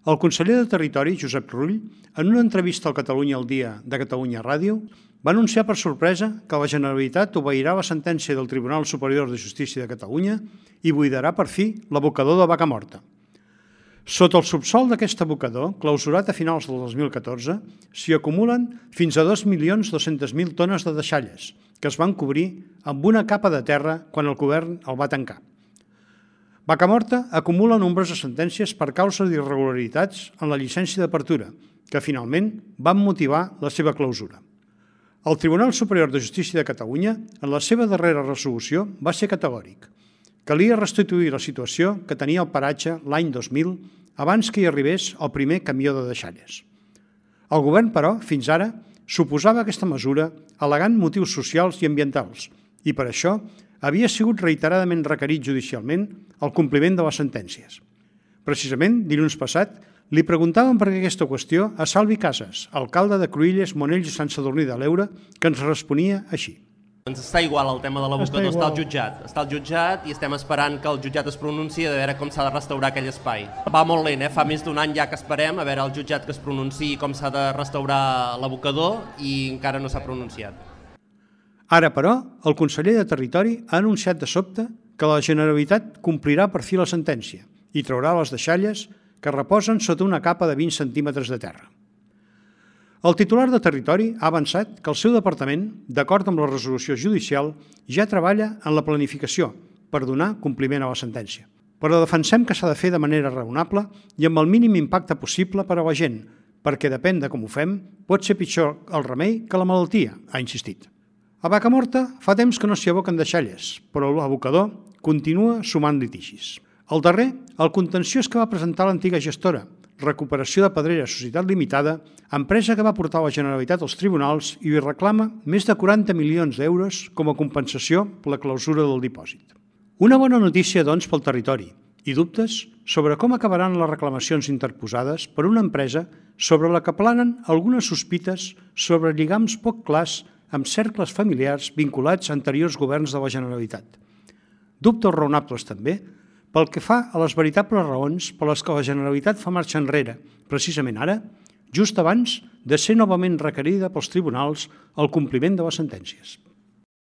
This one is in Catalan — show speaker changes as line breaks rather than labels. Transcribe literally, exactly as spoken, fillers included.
El conseller de Territori, Josep Rull, en una entrevista al Catalunya al Dia de Catalunya Ràdio, va anunciar per sorpresa que la Generalitat obeirà la sentència del Tribunal Superior de Justícia de Catalunya i buidarà per fi l'abocador de Vacamorta. Sota el subsòl d'aquest abocador, clausurat a finals del dos mil catorze, s'hi acumulen fins a dos milions dos-cents mil tones de deixalles, que es van cobrir amb una capa de terra quan el govern el va tancar. Vacamorta acumula nombroses sentències per causa d'irregularitats en la llicència d'apertura, que finalment van motivar la seva clausura. El Tribunal Superior de Justícia de Catalunya, en la seva darrera resolució, va ser categòric. Calia restituir la situació que tenia el paratge l'any dos mil abans que hi arribés el primer camió de deixalles. El govern, però, fins ara, s'oposava a aquesta mesura al·legant motius socials i ambientals i, per això, havia sigut reiteradament requerit judicialment el compliment de les sentències. Precisament, dilluns passat, li preguntàvem per aquesta qüestió a Salvi Casas, alcalde de Cruïlles, Monells i Sant Sadurní de l'Eure, que ens responia així.
Ens està igual el tema de l'abocador, està al jutjat. Està al jutjat i estem esperant que el jutjat es pronunciï de veure com s'ha de restaurar aquell espai. Va molt lent, eh? Fa més d'un any ja que esperem a veure el jutjat que es pronunciï com s'ha de restaurar l'abocador i encara no s'ha pronunciat.
Ara, però, el conseller de Territori ha anunciat de sobte que la Generalitat complirà per fi la sentència i traurà les deixalles que reposen sota una capa de vint centímetres de terra. El titular de Territori ha avançat que el seu departament, d'acord amb la resolució judicial, ja treballa en la planificació per donar compliment a la sentència. Però defensem que s'ha de fer de manera raonable i amb el mínim impacte possible per a la gent, perquè depèn de com ho fem, pot ser pitjor el remei que la malaltia, ha insistit. A Vacamorta fa temps que no s'hi aboquen deixalles, però l'abocador continua sumant litigis. El darrer, el contenciós que va presentar l'antiga gestora, Recuperació de Pedrera Societat Limitada, empresa que va portar la Generalitat als tribunals i li reclama més de quaranta milions d'euros com a compensació per la clausura del dipòsit. Una bona notícia, doncs, pel territori i dubtes sobre com acabaran les reclamacions interposades per una empresa sobre la que planen algunes sospites sobre lligams poc clars amb cercles familiars vinculats a anteriors governs de la Generalitat. Dubtes raonables també pel que fa a les veritables raons per les que la Generalitat fa marxa enrere, precisament ara, just abans de ser novament requerida pels tribunals el compliment de les sentències.